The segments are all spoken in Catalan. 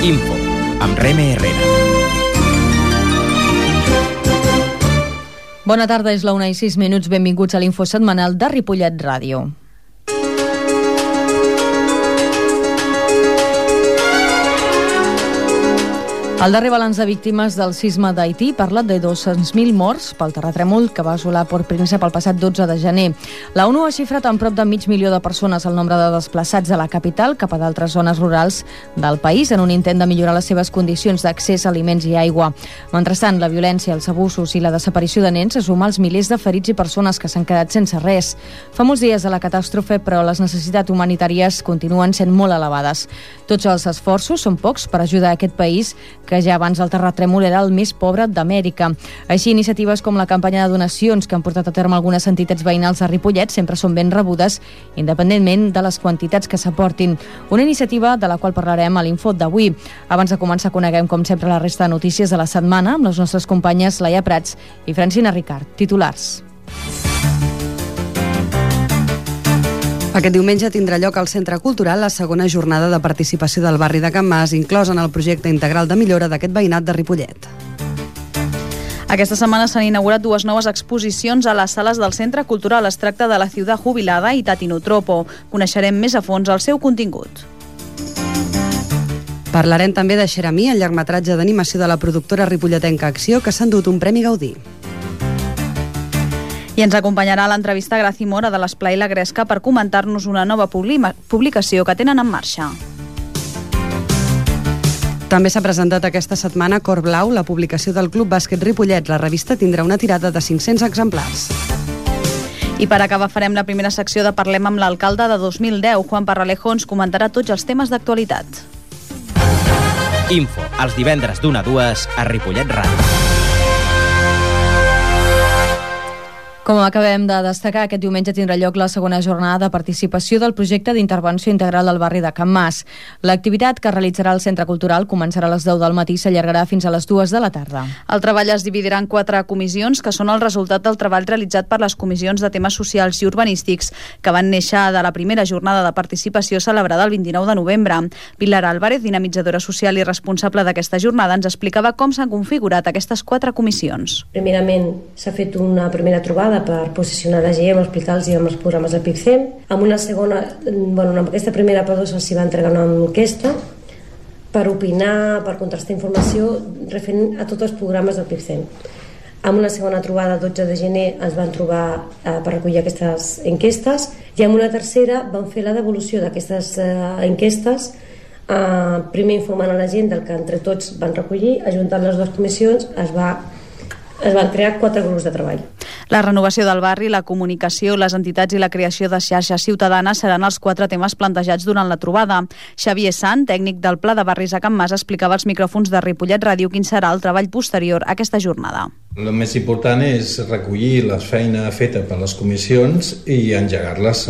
Info, amb Reme Herrera. Bona tarda, és la 1:06. Benvinguts a l'Info setmanal de Ripollet Ràdio. El darrer balanç de víctimes del sisme d'Haití parla de 200.000 morts pel terratrèmol que va assolar Port Príncep el passat 12 de gener. La ONU ha xifrat en prop de 500.000 de persones el nombre de desplaçats de la capital cap a d'altres zones rurals del país en un intent de millorar les seves condicions d'accés a aliments i aigua. Mentrestant, la violència, els abusos i la desaparició de nens se suma als milers de ferits i persones que s'han quedat sense res. Fa molts dies de la catàstrofe, però les necessitats humanitàries continuen sent molt elevades. Tots els esforços són pocs per ajudar a aquest país que ja abans del terratrèmol era el més pobre d'Amèrica. Així, iniciatives com la campanya de donacions que han portat a terme algunes entitats veïnals de Ripollet sempre són ben rebudes, independentment de les quantitats que s'aportin. Una iniciativa de la qual parlarem a l'Info d'avui. Abans de començar, coneguem, com sempre, la resta de notícies de la setmana amb les nostres companyes Laia Prats i Francina Ricard. Titulars. Aquest diumenge tindrà lloc al Centre Cultural la segona jornada de participació del barri de Can Mas, inclosa en el projecte integral de millora d'aquest veïnat de Ripollet. Aquesta setmana s'han inaugurat dues noves exposicions a les sales del Centre Cultural. Es tracta de La ciutat jubilada i Tatinotropo. Coneixerem més a fons el seu contingut. Parlarem també de Xeramí, el llargmetratge d'animació de la productora ripolletenca Acció, que s'ha endut un Premi Gaudí. I ens acompanyarà l'entrevista Graci Mora de l'Esplai La Gresca per comentar-nos una nova publicació que tenen en marxa. També s'ha presentat aquesta setmana Cor Blau, la publicació del Club Bàsquet Ripollet. La revista tindrà una tirada de 500 exemplars. I per acabar farem la primera secció de Parlem amb l'alcalde de 2010. Juan Parralejo ens comentarà tots els temes d'actualitat. Info, els divendres d'1 a 2 a Ripollet Ràdio. Com acabem de destacar, aquest diumenge tindrà lloc la segona jornada de participació del projecte d'intervenció integral del barri de Can Mas. L'activitat que realitzarà el Centre Cultural començarà a les 10 del matí i s'allargarà fins a les 2 de la tarda. El treball es dividirà en 4 comissions, que són el resultat del treball realitzat per les comissions de temes socials i urbanístics, que van néixer de la primera jornada de participació celebrada el 29 de novembre. Pilar Álvarez, dinamitzadora social i responsable d'aquesta jornada, ens explicava com s'han configurat aquestes 4 comissions. Primerament, s'ha fet una primera trobada per posicionar la GEM, explicar-los els programes del PICCEM. Amb una segona, amb aquesta primera se'ls va entregar una enquesta per opinar, per contrastar informació referent a tots els programes del PICCEM. Amb una segona trobada, 12 de gener, ens van trobar per recollir aquestes enquestes, i amb una tercera vam fer la devolució d'aquestes enquestes, primer informant a la gent del que entre tots van recollir, ajuntant les dues comissions, es van crear 4 grups de treball. La renovació del barri, la comunicació, les entitats i la creació de xarxes ciutadanes seran els 4 temes plantejats durant la trobada. Xavier Sant, tècnic del Pla de Barris a Can Mas, explicava als micròfons de Ripollet Ràdio quin serà el treball posterior a aquesta jornada. El més important és recollir la feina feta per les comissions i engegar-les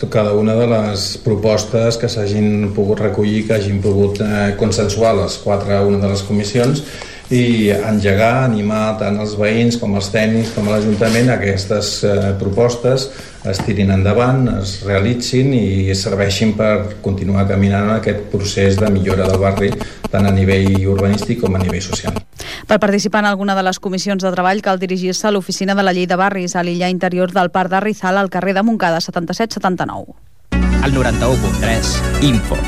cada una de les propostes que s'hagin pogut recollir, que hagin pogut consensuar les 4 una de les comissions, i engegar, animar tant els veïns com els tècnics com l'Ajuntament a aquestes propostes es tirin endavant, es realitzin i serveixin per continuar caminant en aquest procés de millora del barri tant a nivell urbanístic com a nivell social. Per participar en alguna de les comissions de treball cal dirigir-se a l'oficina de la Llei de Barris a l'illa interior del Parc de Rizal al carrer de Montcada 7779. Al 91.3, Info.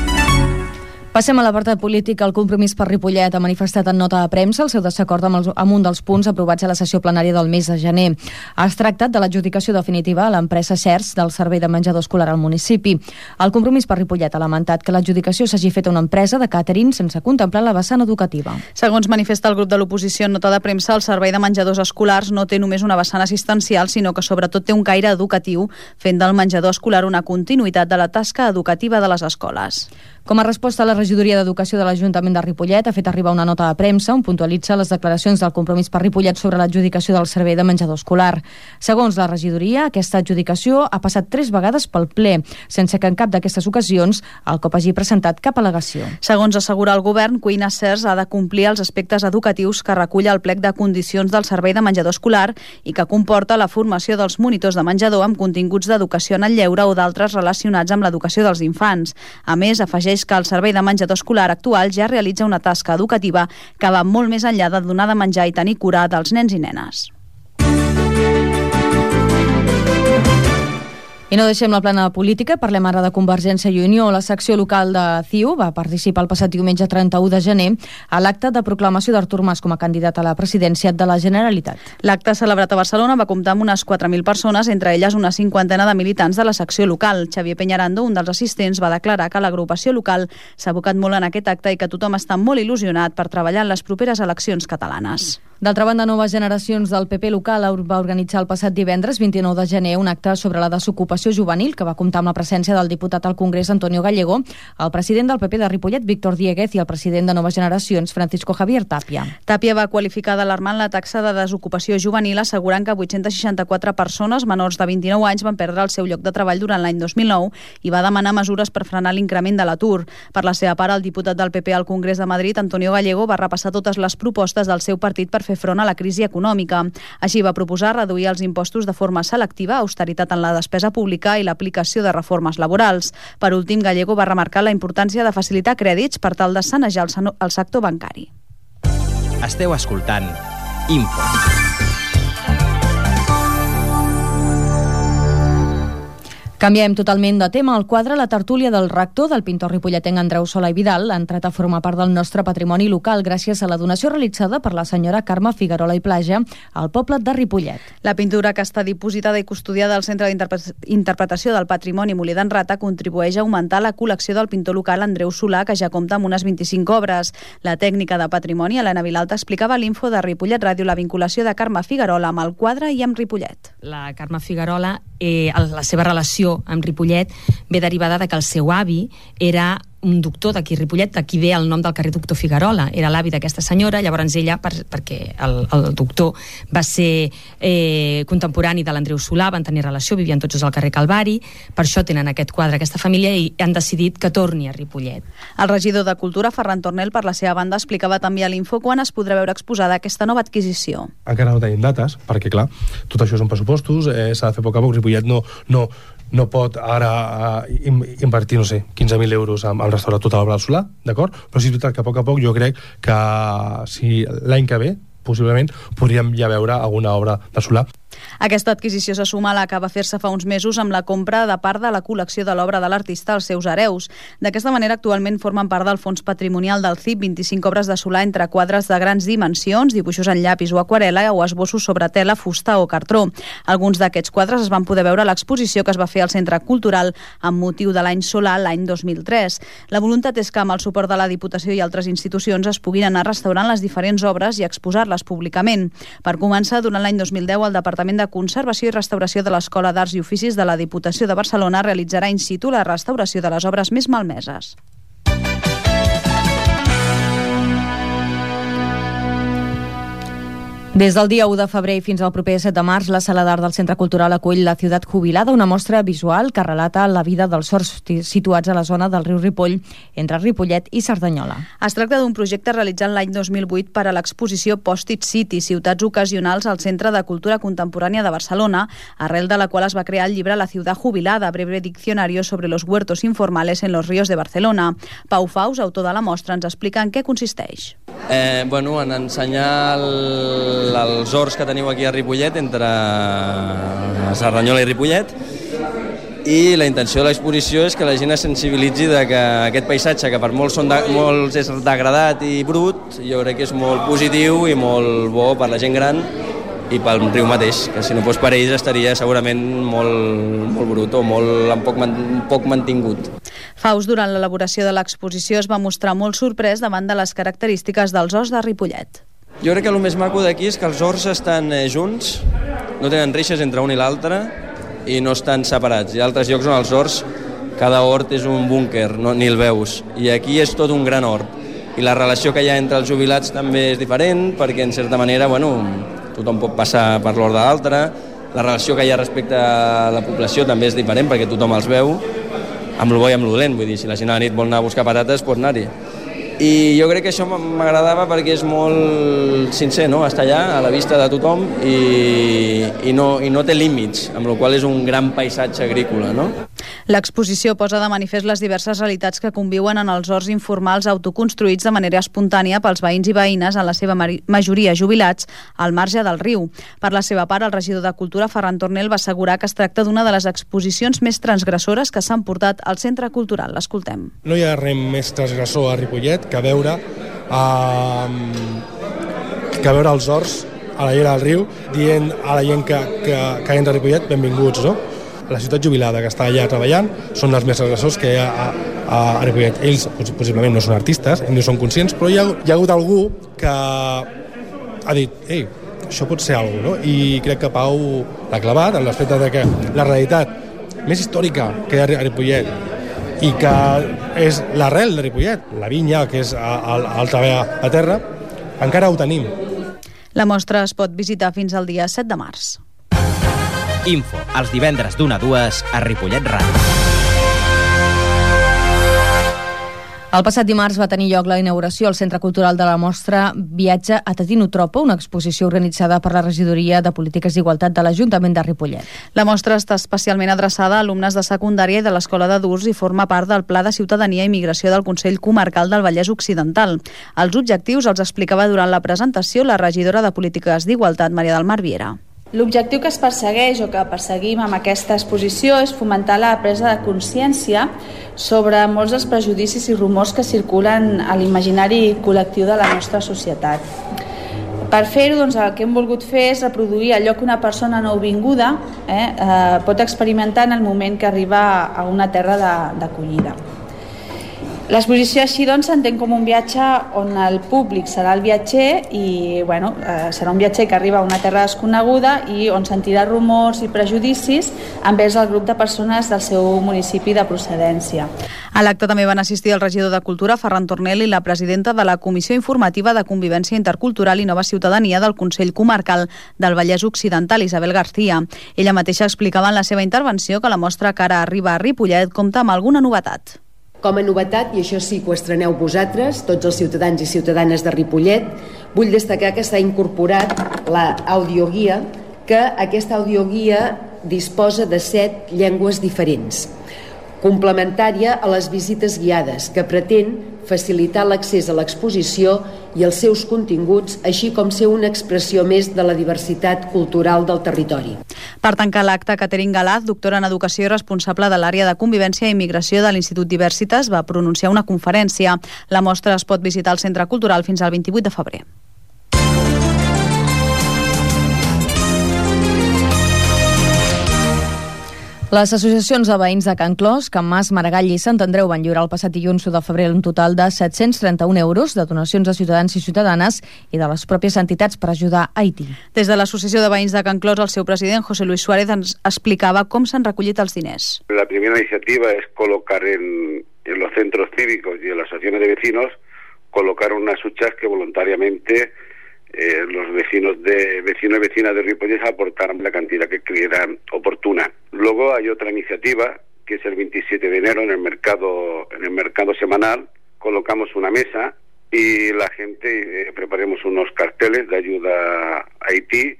Passem a l'apartat polític. El Compromís per Ripollet ha manifestat en nota de premsa el seu desacord amb un dels punts aprovats a la sessió plenària del mes de gener. Es tractat de l'adjudicació definitiva a l'empresa CERS del servei de menjador escolar al municipi. El Compromís per Ripollet ha lamentat que l'adjudicació s'hagi fet a una empresa de càtering sense contemplar la vessant educativa. Segons manifesta el grup de l'oposició en nota de premsa, el servei de menjadors escolars no té només una vessant assistencial, sinó que sobretot té un caire educatiu, fent del menjador escolar una continuïtat de la tasca educativa de les escoles. Com a resposta a la regidoria d'Educació de l'Ajuntament de Ripollet ha fet arribar una nota de premsa on puntualitza les declaracions del Compromís per Ripollet sobre l'adjudicació del servei de menjador escolar. Segons la regidoria, aquesta adjudicació ha passat 3 vegades pel ple, sense que en cap d'aquestes ocasions el COP hagi presentat cap al·legació. Segons assegura el govern, Cuina CERS ha de complir els aspectes educatius que recull el plec de condicions del servei de menjador escolar i que comporta la formació dels monitors de menjador amb continguts d'educació en el lleure o d'altres relacionats amb l'educació dels infants. A més, afegeix que el servei de menjador menjador escolar actual ja realitza una tasca educativa que va molt més enllà de donar de menjar i tenir cura dels nens i nenes. I no deixem la plana política, parlem ara de Convergència i Unió. La secció local de CiU va participar el passat diumenge 31 de gener a l'acte de proclamació d'Artur Mas com a candidat a la presidència de la Generalitat. L'acte celebrat a Barcelona va comptar amb unes 4.000 persones, entre elles una cinquantena de militants de la secció local. Xavier Peñarando, un dels assistents, va declarar que l'agrupació local s'ha abocat molt en aquest acte i que tothom està molt il·lusionat per treballar en les properes eleccions catalanes. D'altra banda, Noves Generacions del PP local va organitzar el passat divendres 29 de gener un acte sobre la desocupació juvenil que va comptar amb la presència del diputat al Congrés Antonio Gallego, el president del PP de Ripollet, Víctor Dieguez, i el president de Noves Generacions, Francisco Javier Tapia. Tapia va qualificar d'alarmant la taxa de desocupació juvenil, assegurant que 864 persones menors de 29 anys van perdre el seu lloc de treball durant l'any 2009 i va demanar mesures per frenar l'increment de l'atur. Per la seva part, el diputat del PP al Congrés de Madrid, Antonio Gallego, va repassar totes les propostes del seu partit per fer front a la crisi econòmica. Així va proposar reduir els impostos de forma selectiva, austeritat en la despesa pública i l'aplicació de reformes laborals. Per últim, Gallego va remarcar la importància de facilitar crèdits per tal de sanejar el sector bancari. Esteu escoltant Info. Canviem totalment de tema. El quadre La tertúlia del rector del pintor ripolletenc Andreu Solà i Vidal ha entrat a formar part del nostre patrimoni local gràcies a la donació realitzada per la senyora Carme Figuerola i Plaja al poble de Ripollet. La pintura, que està dipositada i custodiada al Centre d'Interpretació del Patrimoni Molí d'en Rata, contribueix a augmentar la col·lecció del pintor local Andreu Solà, que ja compta amb unes 25 obres. La tècnica de patrimoni, Helena Vilalta, explicava a l'Info de Ripollet Ràdio la vinculació de Carme Figuerola amb el quadre i amb Ripollet. La Carme Figuerola, la seva relació amb Ripollet ve derivada de que el seu avi era un doctor d'aquí Ripollet, d'aquí ve el nom del carrer Doctor Figuerola, era l'avi d'aquesta senyora. Llavors ella, perquè el doctor va ser contemporani de l'Andreu Solà, van tenir relació, vivien tots al carrer Calvari, per això tenen aquest quadre, aquesta família, i han decidit que torni a Ripollet. El regidor de Cultura, Ferran Tornel, per la seva banda, explicava també a l'Info quan es podrà veure exposada aquesta nova adquisició. Encara no tenim dates, perquè clar, tot això són pressupostos, s'ha de fer a poc a poc. Ripollet no pot ara invertir, 15.000 euros en restaurar tota l'obra del Solà, d'acord? Però sí és veritat que a poc jo crec que si l'any que ve, possiblement, podríem ja veure alguna obra de Solà. Aquesta adquisició se suma a la que va fer-se fa uns mesos amb la compra de part de la col·lecció de l'obra de l'artista als seus hereus. D'aquesta manera, actualment formen part del fons patrimonial del CIP 25 obres de Solà entre quadres de grans dimensions, dibuixos en llapis o aquarela o esbossos sobre tela, fusta o cartró. Alguns d'aquests quadres es van poder veure a l'exposició que es va fer al Centre Cultural amb motiu de l'any Solà l'any 2003. La voluntat és que amb el suport de la Diputació i altres institucions es puguin anar restaurant les diferents obres i exposar-les públicament. Per començar, durant l'any 2010, el Departament de Conservació i Restauració de l'Escola d'Arts i Oficis de la Diputació de Barcelona realitzarà in situ la restauració de les obres més malmeses. Des del dia 1 de febrer fins al proper 7 de març, la Sala d'Art del Centre Cultural acull La Ciutat Jubilada, una mostra visual que relata la vida dels sords situats a la zona del riu Ripoll, entre Ripollet i Cerdanyola. Es tracta d'un projecte realitzat l'any 2008 per a l'exposició Post-it City, ciutats ocasionals al Centre de Cultura Contemporània de Barcelona, arrel de la qual es va crear el llibre La Ciutat Jubilada, breve diccionario sobre los huertos informales en los ríos de Barcelona. Pau Faus, autor de la mostra, ens explica en què consisteix. En ensenyar els horts que teniu aquí a Ripollet, entre Cerdanyola i Ripollet, i la intenció de l'exposició és que la gent es sensibilitzi de que aquest paisatge, que per molts és degradat i brut, jo crec que és molt positiu i molt bo per la gent gran i pel riu mateix, que si no fos per ells estaria segurament molt brut o poc mantingut. Faus, durant l'elaboració de l'exposició, es va mostrar molt sorprès davant de les característiques dels horts de Ripollet. Jo crec que el més maco d'aquí és que els horts estan junts, no tenen reixes entre un i l'altre i no estan separats. Hi ha altres llocs on els horts, cada hort és un búnquer, ni el veus. I aquí és tot un gran hort. I la relació que hi ha entre els jubilats també és diferent, perquè en certa manera, tothom pot passar per l'hort de l'altre. La relació que hi ha respecte a la població també és diferent, perquè tothom els veu, amb lo bo i amb lo dolent. Vull dir, si la gent a la nit vol anar a buscar patates, pot anar-hi. I jo crec que això m'agradava perquè és molt sincer, no? Està allà a la vista de tothom i no té límits, amb la qual cosa és un gran paisatge agrícola, no? L'exposició posa de manifest les diverses realitats que conviuen en els horts informals autoconstruïts de manera espontània pels veïns i veïnes, en la seva majoria jubilats, al marge del riu. Per la seva part, el regidor de Cultura, Ferran Tornel, va assegurar que es tracta d'una de les exposicions més transgressores que s'han portat al Centre Cultural. L'escoltem. No hi ha res més transgressor a Ripollet que veure els horts a la llera del riu dient a la gent que entra a Ripollet benvinguts, no? La ciutat jubilada que està allà treballant són els més transgressors que hi ha a Ripollet. Ells possiblement no són artistes, no són conscients, però hi ha hagut algú que ha dit ei, això pot ser alguna cosa, no? I crec que Pau l'ha clavat en l'aspecte de que la realitat més històrica que hi ha a Ripollet i que és l'arrel de Ripollet, la vinya, que és el treball a terra, encara ho tenim. La mostra es pot visitar fins al dia 7 de març. Info, els divendres d'1 a 2 a Ripollet Ràdio. El passat dimarts va tenir lloc la inauguració al Centre Cultural de la Mostra Viatge a Tatinotropo, una exposició organitzada per la Regidoria de Polítiques d'Igualtat de l'Ajuntament de Ripollet. La mostra està especialment adreçada a alumnes de secundària i de l'Escola d'Adults i forma part del Pla de Ciutadania i Migració del Consell Comarcal del Vallès Occidental. Els objectius els explicava durant la presentació la regidora de Polítiques d'Igualtat, Maria del Mar Viera. L'objectiu que es persegueix o que perseguim amb aquesta exposició és fomentar la presa de consciència sobre molts dels prejudicis i rumors que circulen a l'imaginari col·lectiu de la nostra societat. Per fer-ho, el que hem volgut fer és reproduir allò que una persona nouvinguda pot experimentar en el moment que arriba a una terra d'acollida. L'exposició així s'entén com un viatge on el públic serà el viatger i serà un viatger que arriba a una terra desconeguda i on sentirà rumors i prejudicis envers el grup de persones del seu municipi de procedència. A l'acte també van assistir el regidor de Cultura, Ferran Tornel, i la presidenta de la Comissió Informativa de Convivència Intercultural i Nova Ciutadania del Consell Comarcal del Vallès Occidental, Isabel García. Ella mateixa explicava en la seva intervenció que la mostra que ara arriba a Ripollet compta amb alguna novetat. Com a novetat, i això sí que ho estreneu vosaltres, tots els ciutadans i ciutadanes de Ripollet, vull destacar que s'ha incorporat l'audioguia, que aquesta audioguia disposa de 7 llengües diferents, complementària a les visites guiades, que pretén facilitar l'accés a l'exposició i els seus continguts, així com ser una expressió més de la diversitat cultural del territori. Per tancar l'acte, Catherine Galaz, doctora en Educació i responsable de l'àrea de Convivència i Immigració de l'Institut Diversitas, va pronunciar una conferència. La mostra es pot visitar al Centre Cultural fins al 28 de febrer. Les associacions de veïns de Can Clos, Can Mas, Maragall i Sant Andreu van lliurar el passat dilluns 1 de febrer un total de 731 euros de donacions de ciutadans i ciutadanes i de les pròpies entitats per ajudar Haití. Des de l'Associació de Veïns de Can Clos, el seu president, José Luis Suárez, ens explicava com s'han recollit els diners. La primera iniciativa es colocar en los centros cívicos y en las asociaciones de vecinos, colocar unas huchas que voluntariamente los vecinos y vecinas de Ripollet aportaron la cantidad que creyeran oportuna. Luego hay otra iniciativa que es el 27 de enero en el mercado semanal. Colocamos una mesa y la gente preparemos unos carteles de ayuda a Haití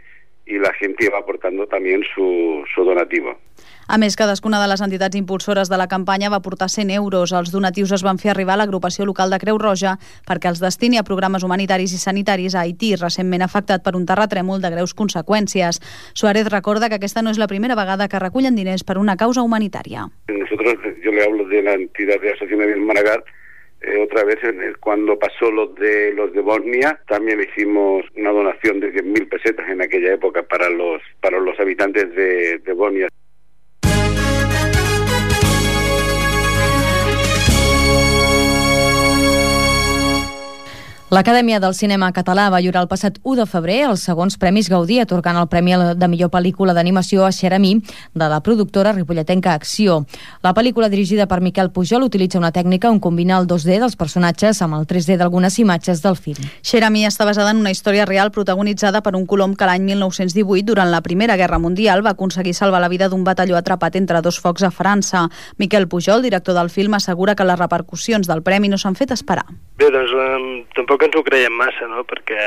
y la gente va aportando también su donativo. A més, cadascuna de les entitats impulsores de la campanya va aportar 100 euros. Els donatius es van fer arribar a l'agrupació local de Creu Roja perquè els destini a programes humanitaris i sanitaris a Haití, recentment afectat per un terratrèmol de greus conseqüències. Suárez recorda que aquesta no és la primera vegada que recullen diners per una causa humanitària. Yo le hablo de la entidad de Asociación de Maragall. Otra vez, cuando pasó los de Bosnia, también hicimos una donación de 10.000 pesetas en aquella época para los habitantes de Bosnia. L'Acadèmia del Cinema Català va lliurar el passat 1 de febrer els segons Premis Gaudí, atorgant el Premi de millor pel·lícula d'animació a Xeramí, de la productora ripolletenca Acció. La pel·lícula, dirigida per Miquel Pujol, utilitza una tècnica on combina el 2D dels personatges amb el 3D d'algunes imatges del film. Xeramí està basada en una història real protagonitzada per un colom que l'any 1918, durant la Primera Guerra Mundial, va aconseguir salvar la vida d'un batalló atrapat entre dos focs a França. Miquel Pujol, director del film, assegura que les repercussions del premi no s'han fet esperar. Bé, doncs tampoc ens ho creiem massa, no? Perquè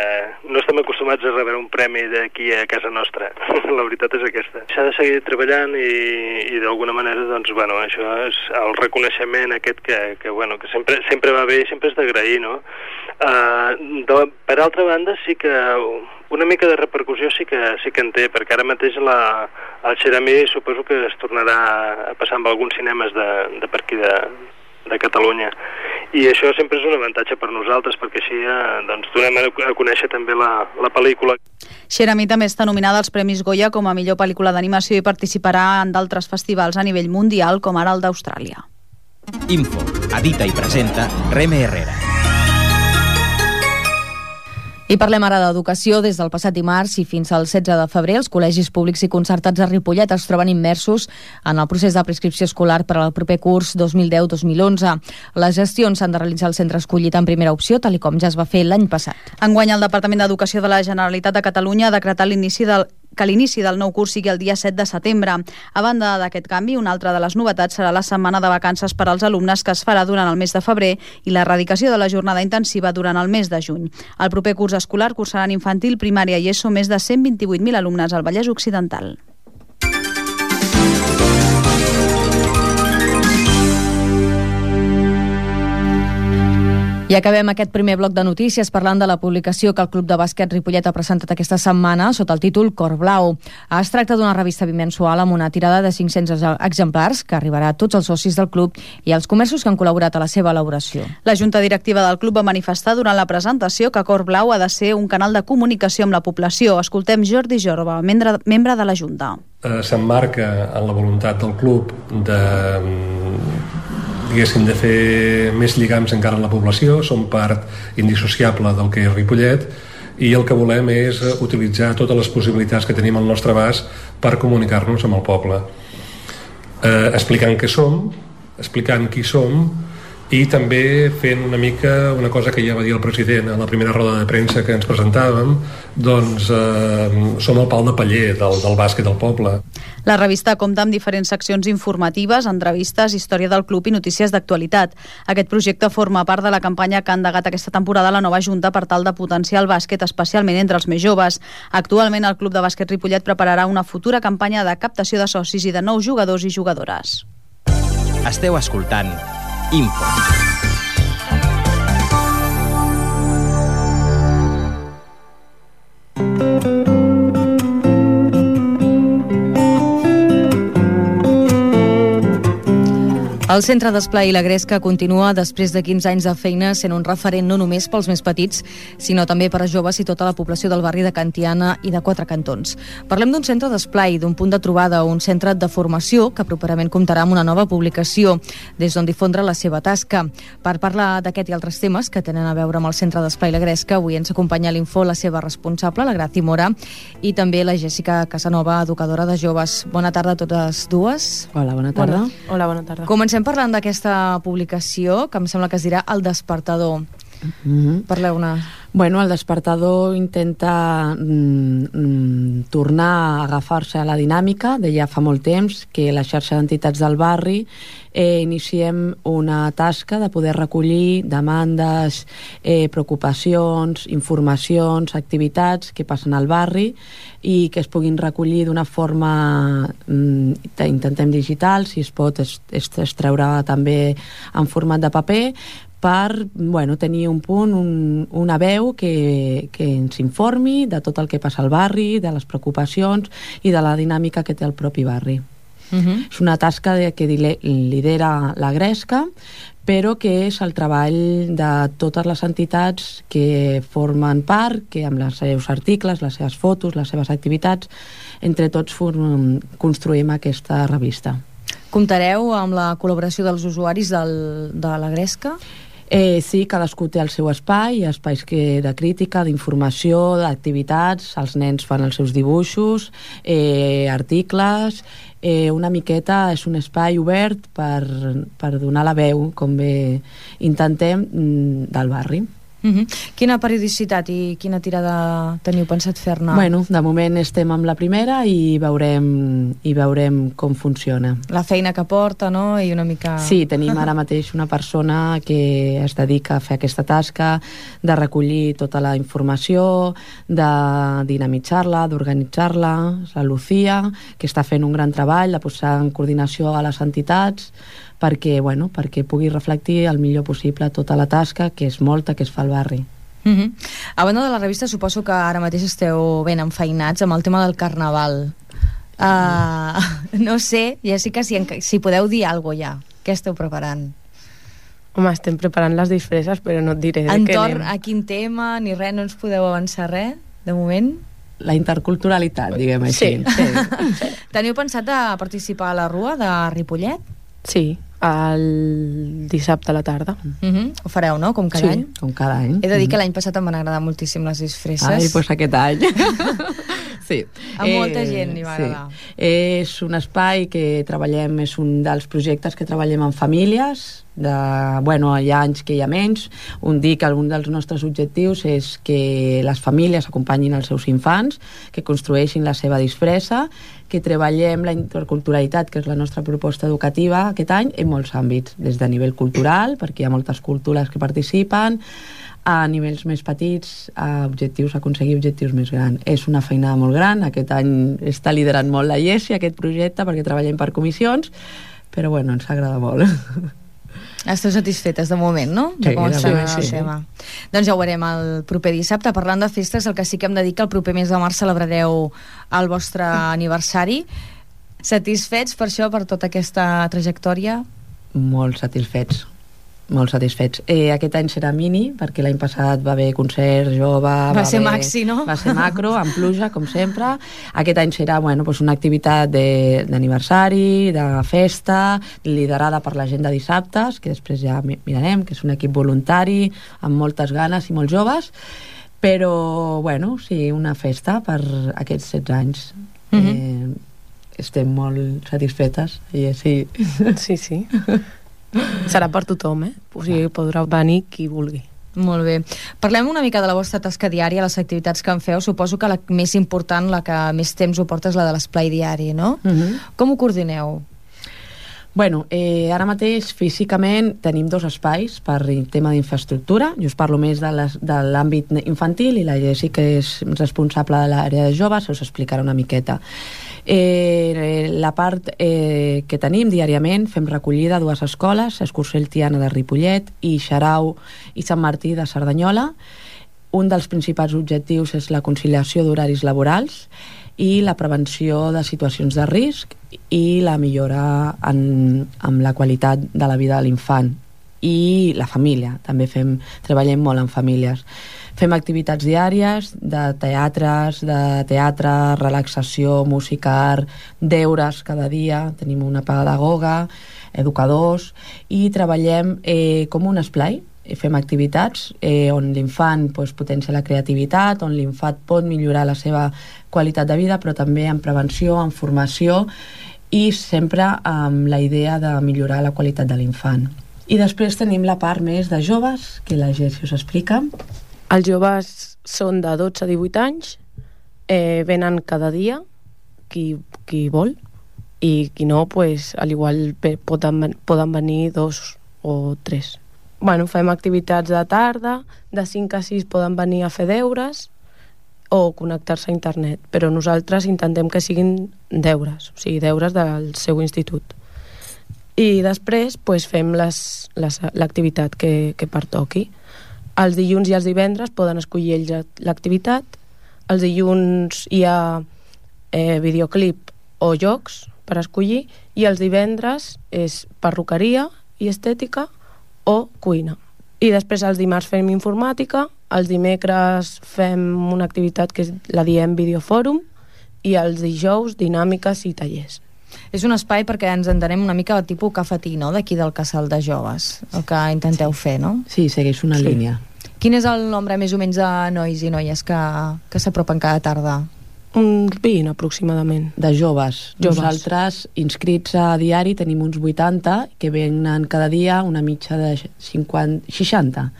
no estem acostumats a rebre un premi d'aquí a casa nostra. La veritat és aquesta. S'ha de seguir treballant i d'alguna manera, doncs, bueno, això és el reconeixement aquest que sempre va bé i sempre és d'agrair, no? Per altra banda, sí que una mica de repercussió sí que en té, perquè ara mateix el Xeramí suposo que es tornarà a passar amb alguns cinemes de per aquí de Catalunya, i això sempre és un avantatge per nosaltres, perquè així doncs, donem a conèixer també la pel·lícula. Xeramí també està nominada als Premis Goya com a millor pel·lícula d'animació i participarà en d'altres festivals a nivell mundial, com ara el d'Austràlia. Info, edita i presenta Reme Herrera. I parlem ara d'educació. Des del passat dimarts i fins al 16 de febrer, els col·legis públics i concertats a Ripollet es troben immersos en el procés de prescripció escolar per al proper curs 2010-2011. Les gestions s'han de realitzar al centre escollit en primera opció, tal com ja es va fer l'any passat. Enguany, el Departament d'Educació de la Generalitat de Catalunya ha decretat que l'inici del nou curs sigui el dia 7 de setembre. A banda d'aquest canvi, una altra de les novetats serà la setmana de vacances per als alumnes, que es farà durant el mes de febrer, i l'erradicació de la jornada intensiva durant el mes de juny. El proper curs escolar cursaran infantil, primària i ESO més de 128.000 alumnes al Vallès Occidental. I acabem aquest primer bloc de notícies parlant de la publicació que el Club de Bàsquet Ripollet ha presentat aquesta setmana sota el títol Cor Blau. Es tracta d'una revista bimensual amb una tirada de 500 exemplars que arribarà a tots els socis del club i als comerços que han col·laborat a la seva elaboració. La Junta Directiva del club va manifestar durant la presentació que Cor Blau ha de ser un canal de comunicació amb la població. Escoltem Jordi Jorba, membre de la Junta. S'emmarca en la voluntat del club de fer més lligams encara amb la població. Som part indissociable del que és Ripollet i el que volem és utilitzar totes les possibilitats que tenim al nostre abast per comunicar-nos amb el poble, explicant què som, explicant qui som i també fent una mica una cosa que ja va dir el president a la primera roda de premsa que ens presentàvem, doncs som el pal de paller del bàsquet del poble. La revista compta amb diferents seccions informatives, entrevistes, història del club i notícies d'actualitat. Aquest projecte forma part de la campanya que ha endegat aquesta temporada la nova Junta per tal de potenciar el bàsquet, especialment entre els més joves. Actualment, el Club de Bàsquet Ripollet prepararà una futura campanya de captació de socis i de nous jugadors i jugadores. Esteu escoltant Info. El Centre d'Esplai La Gresca continua, després de 15 anys de feina, sent un referent no només pels més petits, sinó també per a joves i tota la població del barri de Cantiana i de Quatre Cantons. Parlem d'un centre d'esplai, d'un punt de trobada, un centre de formació que properament comptarà amb una nova publicació, des d'on difondre la seva tasca. Per parlar d'aquest i altres temes que tenen a veure amb el Centre d'Esplai La Gresca, avui ens acompanya a l'Info la seva responsable, la Graci Mora, i també la Jèssica Casanova, educadora de joves. Bona tarda a totes dues. Hola, bona tarda. Hola, bona tarda. Comencem parlant d'aquesta publicació, que em sembla que es dirà El Despertador. Parleu-ne. Bueno, El Despertador intenta tornar a agafar-se a la dinàmica de ja fa molt temps que la xarxa d'entitats del barri iniciem una tasca de poder recollir demandes, preocupacions, informacions, activitats que passen al barri i que es puguin recollir d'una forma, intentem digital, si es pot extreure també en format de paper, per tenir un punt, una veu que ens informi de tot el que passa al barri, de les preocupacions i de la dinàmica que té el propi barri. És una tasca que lidera la Gresca, però que és el treball de totes les entitats que formen part, que amb els seus articles, les seves fotos, les seves activitats, entre tots construïm aquesta revista. Comptareu amb la col·laboració dels usuaris de la Gresca? Sí, cadascú té el seu espai, espais de crítica, d'informació, d'activitats, els nens fan els seus dibuixos, articles, una miqueta és un espai obert per donar la veu, com bé intentem, del barri. Quina periodicitat i quina tirada teniu pensat fer-ne? Bueno, de moment estem amb la primera i veurem com funciona. La feina que porta, no? I una mica... Sí, tenim ara mateix una persona que es dedica a fer aquesta tasca de recollir tota la informació, de dinamitzar-la, d'organitzar-la, la Lucía, que està fent un gran treball de posar en coordinació a les entitats perquè pugui reflectir el millor possible tota la tasca, que és molta, que es fa al barri. A banda de la revista, suposo que ara mateix esteu ben enfeinats amb el tema del carnaval. No sé, Jessica, si podeu dir alguna cosa ja. Què esteu preparant? Home, estem preparant les disfresses, però no et diré de què anem. Entorn a quin tema, ni res, no ens podeu avançar res, de moment? La interculturalitat, diguem així. Sí. Teniu pensat de participar a la Rua de Ripollet? Sí, el dissabte a la tarda. Ho fareu, no? Com cada any? Com cada any. He de dir que l'any passat em van agradar moltíssim les disfresses. Ai, doncs aquest any. Sí. A molta gent li va agradar. És un espai que treballem, és un dels projectes que treballem en famílies, hi ha anys que hi ha menys. Un dels nostres objectius és que les famílies acompanyin els seus infants, que construeixin la seva disfressa, que treballem la interculturalitat, que és la nostra proposta educativa aquest any, en molts àmbits, des de nivell cultural, perquè hi ha moltes cultures que participen, a nivells més petits, a aconseguir objectius més grans. És una feinada molt gran, aquest any està liderant molt la Jessi, aquest projecte, perquè treballem per comissions, però ens agrada molt. Esteu satisfetes de moment, no? Sí, el tema. Doncs ja ho veurem el proper dissabte. Parlant de festes, el que sí que hem de dir que el proper mes de març celebrareu el vostre aniversari. Satisfets per això, per tota aquesta trajectòria? Molt satisfets. Aquest any serà mini, perquè l'any passat va haver concert jove... Va ser maxi, no? Va ser macro, amb pluja, com sempre. Aquest any serà una activitat d'aniversari, de festa, liderada per la gent de dissabtes, que després ja mirarem, que és un equip voluntari, amb moltes ganes i molt joves, però, sí, una festa per aquests 16 anys. Estem molt satisfetes, i sí. Sí. Serà per tothom, O sigui, podrà venir qui vulgui. Molt bé. Parlem una mica de la vostra tasca diària, les activitats que en feu. Suposo que la més important, la que més temps ho porta, és la de l'esplai diari, no? Com ho coordineu? Ara mateix físicament tenim 2 espais per tema d'infraestructura. Jo us parlo més de l'àmbit infantil i la Jessi, que és responsable de l'àrea de joves, us explicarà una miqueta. La part que tenim diàriament, fem recollida a 2 escoles, Escursell Tiana de Ripollet i Xarau i Sant Martí de Cerdanyola. Un dels principals objectius és la conciliació d'horaris laborals i la prevenció de situacions de risc i la millora en la qualitat de la vida de l'infant i la família. També treballem molt en famílies. Fem activitats diàries de teatre, relaxació, música, art, deures cada dia, tenim una pedagoga, educadors, i treballem com un esplai. Fem activitats on l'infant potencia la creativitat, on l'infant pot millorar la seva qualitat de vida, però també en prevenció, en formació, i sempre amb la idea de millorar la qualitat de l'infant. I després tenim la part més de joves, que la Jessi us explica. Els joves són de 12 a 18 anys, venen cada dia, qui vol, i qui no, al igual poden venir 2 o 3. Fem activitats de tarda, de 5 a 6 poden venir a fer deures o connectar-se a internet, però nosaltres intentem que siguin deures, o sigui, deures del seu institut. I després fem l'activitat que pertoqui. Els dilluns i els divendres poden escollir ells l'activitat. Els dilluns hi ha videoclip o jocs per escollir, i els divendres és perruqueria i estètica o cuina. I després els dimarts fem informàtica, els dimecres fem una activitat que la diem videofòrum, i els dijous dinàmiques i tallers. És un espai perquè ens entenem una mica tipus cafetí, no?, d'aquí del casal de joves, el que intenteu fer, no? Sí, segueix una línia. Quin és el nombre més o menys de nois i noies que s'apropen cada tarda? Uns 20 aproximadament. De joves. Nosaltres, inscrits a diari, tenim uns 80 que venen cada dia, una mitja de 60.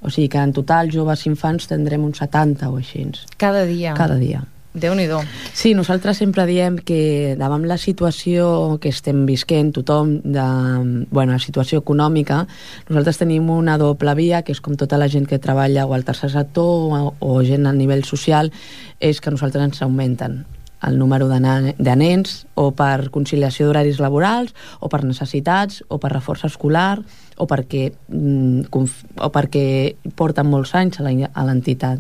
O sigui que en total joves i infants tindrem uns 70 o així. Cada dia? Cada dia. Déu-n'hi-do. Sí, nosaltres sempre diem que davant la situació que estem visquent tothom, la situació econòmica, nosaltres tenim una doble via, que és com tota la gent que treballa o al tercer sector o gent a nivell social, és que nosaltres ens augmenten el número de nens, o per conciliació d'horaris laborals, o per necessitats, o per reforç escolar, o perquè porten molts anys a l'entitat.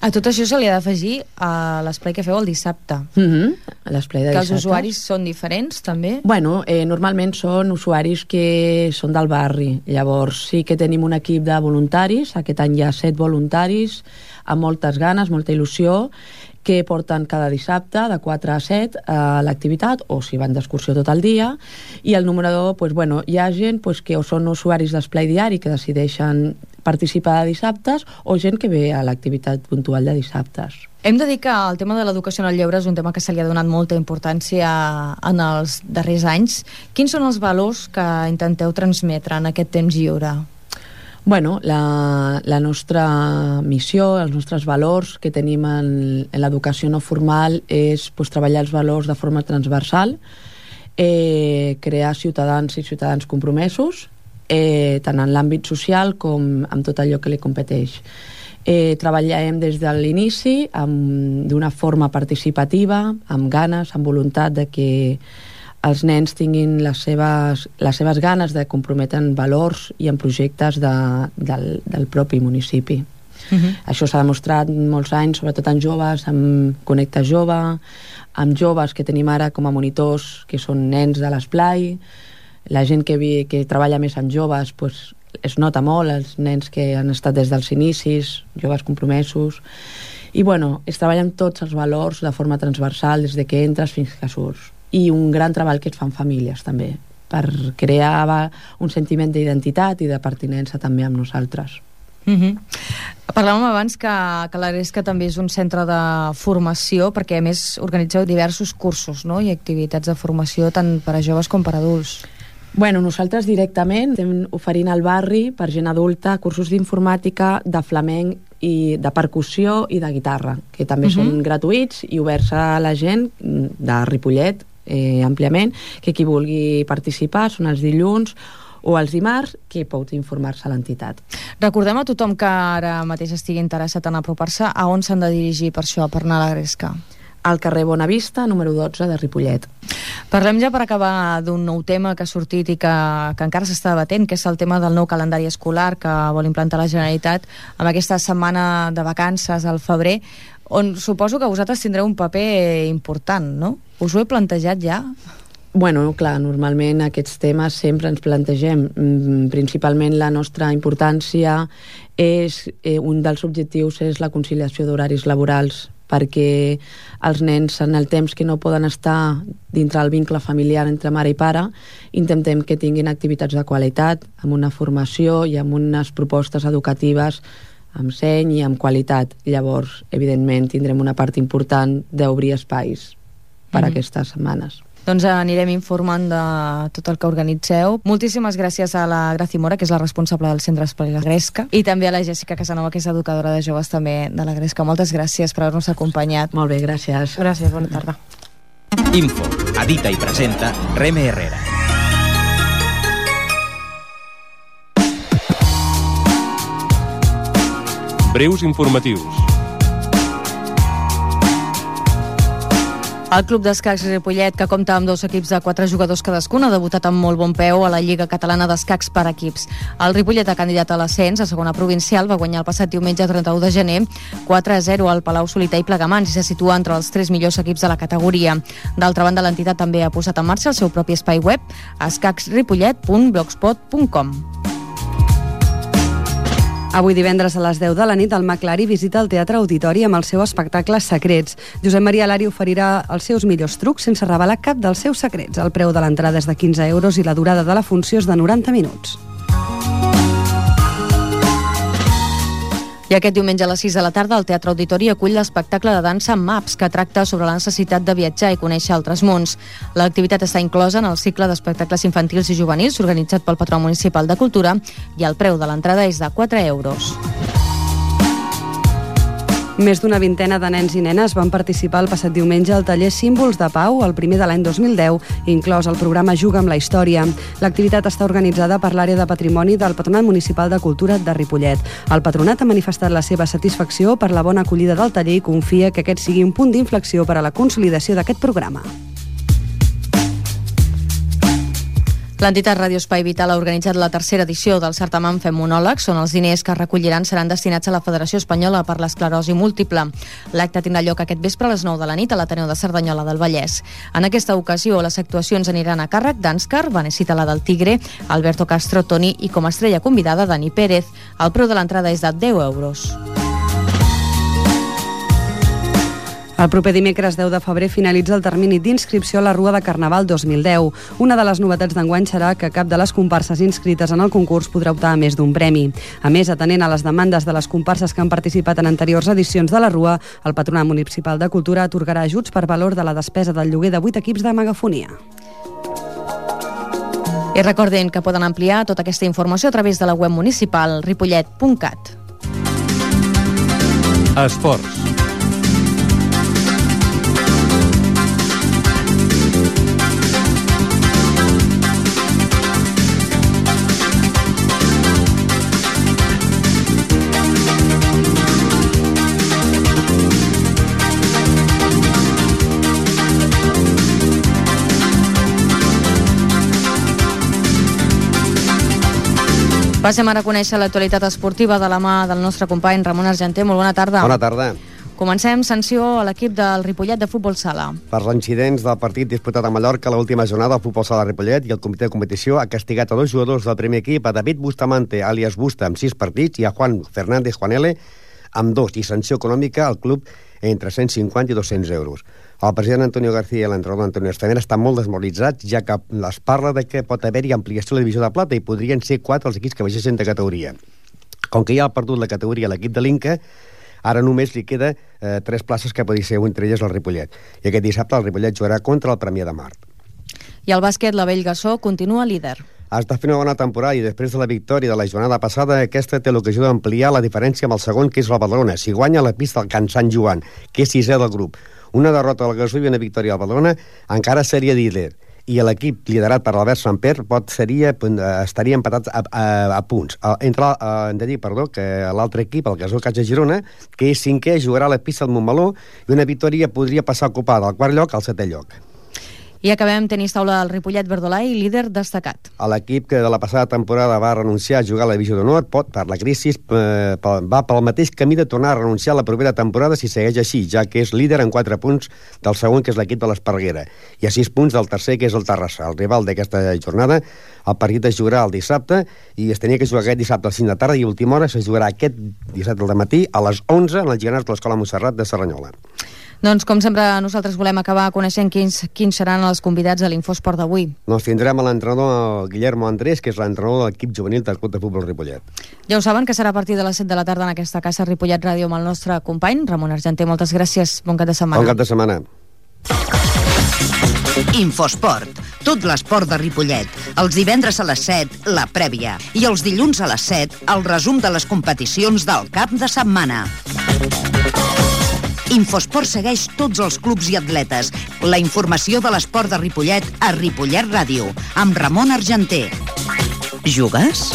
A tot això se li ha d'afegir a l'esplai que feu el dissabte. L'esplai de que dissabte. Els usuaris són diferents, també? Bueno, normalment són usuaris que són del barri. Llavors sí que tenim un equip de voluntaris. Aquest any hi ha 7 voluntaris amb moltes ganes, molta il·lusió, que porten cada dissabte de 4 a 7 a l'activitat, o si van d'excursió tot el dia, i el número 2, hi ha gent que o són usuaris d'esplai diari que decideixen participar de dissabtes, o gent que ve a l'activitat puntual de dissabtes. Hem de dir que el tema de l'educació en el lleure és un tema que se li ha donat molta importància en els darrers anys. Quins són els valors que intenteu transmetre en aquest temps lliure? Bueno, la nostra missió, els nostres valors que tenim en l'educació no formal és treballar els valors de forma transversal, crear ciutadans i ciutadans compromesos, tant en l'àmbit social com amb tot allò que li competeix. Treballem des de l'inici d'una forma participativa, amb ganes, amb voluntat de que els nens tinguin les seves ganes de comprometre en valors i en projectes del propi municipi. Això s'ha demostrat molts anys, sobretot en joves, amb Connecta Jove, amb joves que tenim ara com a monitors, que són nens de l'esplai. La gent que treballa més amb joves es nota molt, els nens que han estat des dels inicis, joves compromesos. I es treballa amb tots els valors de forma transversal, des de que entres fins que surts. I un gran treball que es fa en famílies també, per crear un sentiment d'identitat i de pertinença també amb nosaltres. Parlàvem abans que la Gresca també és un centre de formació, perquè a més organitzeu diversos cursos, no? I activitats de formació tant per a joves com per a adults. Bueno, nosaltres directament estem oferint al barri per gent adulta cursos d'informàtica, de flamenc i de percussió i de guitarra, que també són gratuïts i oberts a la gent de Ripollet àmpliament, que qui vulgui participar són els dilluns o els dimarts, que pot informar-se a l'entitat. Recordem a tothom que ara mateix estigui interessat en apropar-se, a on s'han de dirigir per això, per anar a la Gresca? Al carrer Bonavista, número 12 de Ripollet. Parlem ja per acabar d'un nou tema que ha sortit i que encara s'està debatent, que és el tema del nou calendari escolar que vol implantar la Generalitat amb aquesta setmana de vacances al febrer, on suposo que vosaltres tindreu un paper important, no? Us ho he plantejat ja? Bueno, clar, normalment aquests temes sempre ens plantegem. Principalment la nostra importància és, un dels objectius és la conciliació d'horaris laborals, perquè els nens en el temps que no poden estar dintre el vincle familiar entre mare i pare, intentem que tinguin activitats de qualitat, amb una formació i amb unes propostes educatives amb seny i amb qualitat. Llavors, evidentment, tindrem una part important d'obrir espais per a aquestes setmanes. Doncs anirem informant de tot el que organitzeu. Moltíssimes gràcies a la Graci Mora, que és la responsable del Centre Escolar La Gresca, i també a la Jessica Casanova, que és educadora de joves també de la Gresca. Moltes gràcies per haver-nos acompanyat. Molt bé, gràcies. Gràcies, bona tarda. Info, edita i presenta Reme Herrera. Breus informatius. El Club d'Escacs Ripollet, que compta amb 2 equips de 4 jugadors cadascun, ha debutat amb molt bon peu a la Lliga Catalana d'Escacs per equips. El Ripollet ha candidat a l'ascens a segona provincial, va guanyar el passat diumenge 31 de gener 4-0 al Palau Solità i Plegamans i se situa entre els 3 millors equips de la categoria. D'altra banda, l'entitat també ha posat en marxa el seu propi espai web, escacsripollet.blogspot.com. Avui divendres a les 10 de la nit, el McLari visita el Teatre Auditori amb el seu espectacle Secrets. Josep Maria Lari oferirà els seus millors trucs sense revelar cap dels seus secrets. El preu de l'entrada és de 15 euros i la durada de la funció és de 90 minuts. I aquest diumenge a les 6 de la tarda el Teatre Auditori acull l'espectacle de dansa Maps, que tracta sobre la necessitat de viatjar i conèixer altres mons. L'activitat està inclosa en el cicle d'espectacles infantils i juvenils organitzat pel Patró Municipal de Cultura i el preu de l'entrada és de 4 euros. Més d'una vintena de nens i nenes van participar el passat diumenge al taller Símbols de Pau, el primer de l'any 2010, inclòs el programa Juga amb la Història. L'activitat està organitzada per l'àrea de patrimoni del Patronat Municipal de Cultura de Ripollet. El patronat ha manifestat la seva satisfacció per la bona acollida del taller i confia que aquest sigui un punt d'inflexió per a la consolidació d'aquest programa. L'entitat Radio Espai Vital ha organitzat la tercera edició del certamen Fem Monòlegs, on els diners que es recolliran seran destinats a la Federació Espanyola per l'Esclerosi Múltiple. L'acte tindrà lloc aquest vespre a les 9 de la nit a l'Ateneu de Cerdanyola del Vallès. En aquesta ocasió, les actuacions aniran a càrrec d'Ànscar, Vanesita la del Tigre, Alberto Castro, Toni i com a estrella convidada Dani Pérez. El preu de l'entrada és de 10 euros. El proper dimecres 10 de febrer finalitza el termini d'inscripció a la Rua de Carnaval 2010. Una de les novetats d'enguany serà que cap de les comparses inscrites en el concurs podrà optar a més d'un premi. A més, atenent a les demandes de les comparses que han participat en anteriors edicions de la Rua, el Patronat Municipal de Cultura atorgarà ajuts per valor de la despesa del lloguer de 8 equips de megafonia. I recordin que poden ampliar tota aquesta informació a través de la web municipal ripollet.cat. Esports. Passem ara a conèixer l'actualitat esportiva de la mà del nostre company Ramon Argenter. Molt bona tarda. Bona tarda. Comencem. Sanció a l'equip del Ripollet de Futbol Sala. Per l'incidents del partit disputat a Mallorca l'última jornada, el Futbol Sala Ripollet i el comitè de competició ha castigat a 2 jugadors del primer equip, a David Bustamante, alias Busta, amb 6 partits, i a Juan Fernández Juanele, amb 2, i sanció econòmica al club entre 150 i 200 euros. El president Antonio García i l'entrenador Antonio Estamer estan molt desmoralitzats, ja que es parla de que pot haver-hi ampliació a la divisió de plata i podrien ser 4 els equips que baixessin de categoria. Com que ja ha perdut la categoria l'equip de l'Inca, ara només li queda 3 places que podria ser entre elles el Ripollet. I aquest dissabte el Ripollet jugarà contra el Premià de Mar. I el bàsquet, la Bellgasó, continua líder. Està fent una bona temporada i després de la victòria de la jornada passada, aquesta té l'ocasió d'ampliar la diferència amb el segon, que és el Badalona. Si guanya la pista del Can Sant Joan, que és 6è del grup, una derrota al Gasó i una victòria al Badalona, encara seria líder. I l'equip liderat per l'Albert Samper estaria empatats a punts. Hem de dir, que l'altre equip, el Gasó Casa Girona, que és 5è, jugarà a la pista del Montmeló i una victòria podria passar a ocupar del 4è lloc al 7è lloc. I acabem tenis taula del Ripollet Verdolai, líder destacat. L'equip que de la passada temporada va renunciar a jugar a la divisió d'honor per la crisi va pel mateix camí de tornar a renunciar a la propera temporada si segueix així, ja que és líder en 4 punts del segon, que és l'equip de l'Esparreguera, i a 6 punts del tercer, que és el Terrassa, el rival d'aquesta jornada. El partit es jugarà el dissabte i es tenia que jugar aquest dissabte a les 5 de tarda i a última hora se jugarà aquest dissabte al matí a les 11 en els Giganats de l'Escola Montserrat de Cerdanyola. Doncs, com sempre, nosaltres volem acabar coneixent quins seran els convidats a l'Infosport d'avui. Doncs tindrem a l'entrenador Guillermo Andrés, que és l'entrenador de l'equip juvenil del Club de Futbol Ripollet. Ja ho saben, que serà a partir de les 7 de la tarda en aquesta casa Ripollet Ràdio amb el nostre company Ramon Argenter. Moltes gràcies, bon cap de setmana. Bon cap de setmana. Infosport, tot l'esport de Ripollet. Els divendres a les 7, la prèvia. I els dilluns a les 7, el resum de les competicions del cap de setmana. Infosport segueix tots els clubs i atletes. La informació de l'esport de Ripollet a Ripollet Ràdio, amb Ramon Argenter. Jugues?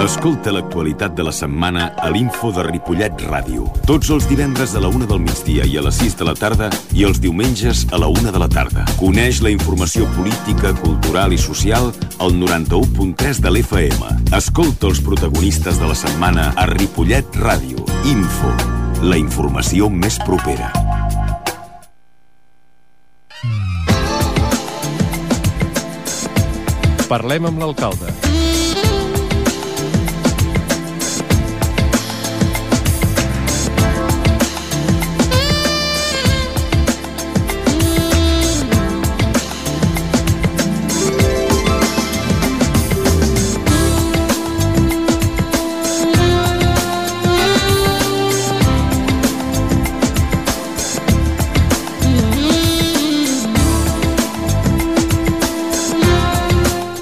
Escolta l'actualitat de la setmana a l'Info de Ripollet Ràdio. Tots els divendres a la 1 del migdia i a les 6 de la tarda i els diumenges a la 1 de la tarda. Coneix la informació política, cultural i social al 91.3 de l'FM. Escolta els protagonistes de la setmana a Ripollet Ràdio. Info, la informació més propera. Parlem amb l'alcalde.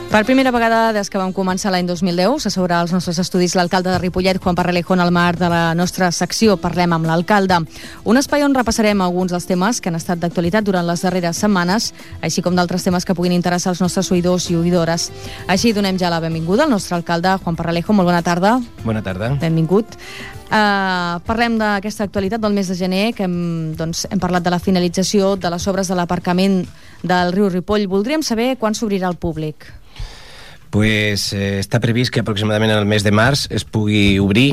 Per primera vegada des que vam començar l'any 2010 s'asseurà als nostres estudis l'alcalde de Ripollet, Juan Parralejo, en el marc de la nostra secció Parlem amb l'alcalde. Un espai on repassarem alguns dels temes que han estat d'actualitat durant les darreres setmanes, així com d'altres temes que puguin interessar als nostres oïdors i oïdores. Així donem ja la benvinguda al nostre alcalde, Juan Parralejo. Molt bona tarda. Bona tarda. Benvingut. Parlem d'aquesta actualitat del mes de gener, que hem parlat de la finalització de les obres de l'aparcament del riu Ripoll. Voldríem saber quan s'obrirà al públic. Pues està previst que aproximadament el mes de març es pugui obrir.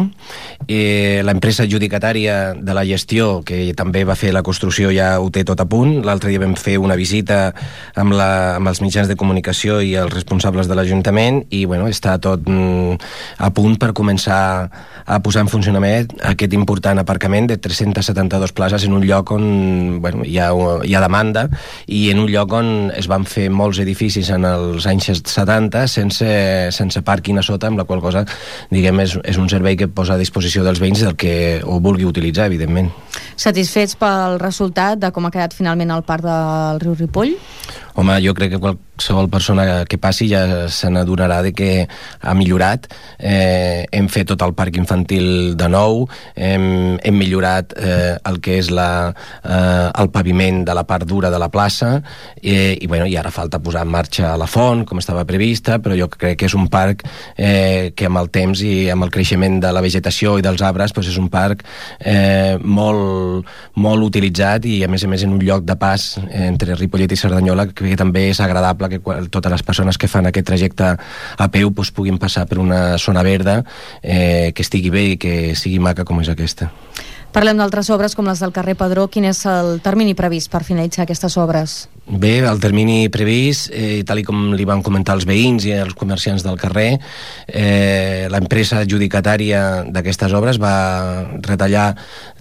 L'empresa adjudicatària de la gestió, que també va fer la construcció, ja ho té tot a punt. L'altre dia vam fer una visita amb els mitjans de comunicació i els responsables de l'Ajuntament i està tot a punt per començar a posar en funcionament aquest important aparcament de 372 places en un lloc on hi ha demanda i en un lloc on es van fer molts edificis en els anys 70 sense pàrquing a sota, amb la qual cosa, diguem, és un servei que posa a disposició dels veïns del que ho vulgui utilitzar, evidentment. Satisfets pel resultat de com ha quedat finalment el parc del riu Ripoll? Home, jo crec que qualsevol persona que passi ja se n'adonarà de que ha millorat. Hem fet tot el parc infantil de nou, hem millorat el que és el paviment de la part dura de la plaça i ara falta posar en marxa la font, com estava prevista, però jo crec que és un parc que amb el temps i amb el creixement de la vegetació i dels arbres és un parc molt utilitzat i a més en un lloc de pas entre Ripollet i Cerdanyola que també és agradable que totes les persones que fan aquest trajecte a peu puguin passar per una zona verda que estigui bé i que sigui maca com és aquesta. Parlem d'altres obres com les del carrer Padró. Quin és el termini previst per finalitzar aquestes obres? Bé, el termini previst, tal com li van comentar els veïns i els comerciants del carrer, l'empresa adjudicatària d'aquestes obres va retallar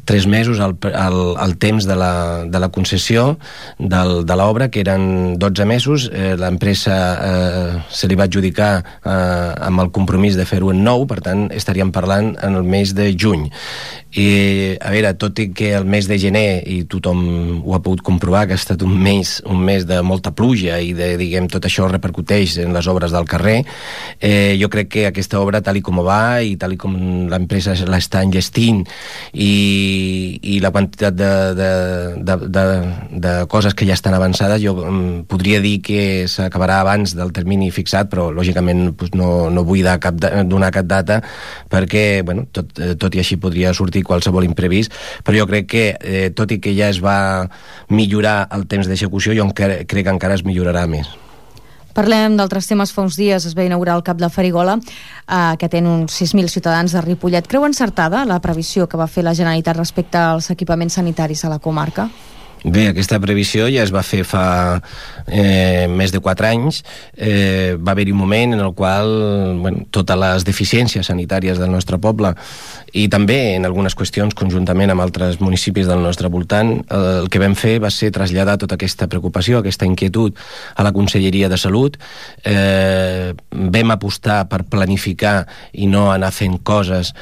3 mesos el temps de la concessió de l'obra, que eren 12 mesos. L'empresa se li va adjudicar amb el compromís de fer-ho en 9, per tant estaríem parlant en el mes de juny. I a veure, tot i que el mes de gener, i tothom ho ha pogut comprovar, que ha estat un mes de molta pluja i diguem, tot això repercuteix en les obres del carrer, jo crec que aquesta obra, tal com va i tal com l'empresa l'està enllestint i la quantitat de coses que ja estan avançades, jo podria dir que s'acabarà abans del termini fixat, però lògicament no vull donar cap data perquè tot i així podria sortir qualsevol imprevist, però jo crec que tot i que ja es va millorar el temps d'execució, jo crec que encara es millorarà més. Parlem d'altres temes. Fa uns dies es va inaugurar el CAP de Farigola, que té uns 6.000 ciutadans de Ripollet. Creu encertada la previsió que va fer la Generalitat respecte als equipaments sanitaris a la comarca? Bé, aquesta previsió ja es va fer fa més de 4 anys. Va haver-hi un moment en el qual totes les deficiències sanitàries del nostre poble i també en algunes qüestions conjuntament amb altres municipis del nostre voltant, el que vam fer va ser traslladar tota aquesta preocupació, aquesta inquietud a la Conselleria de Salut. Vam apostar per planificar i no anar fent coses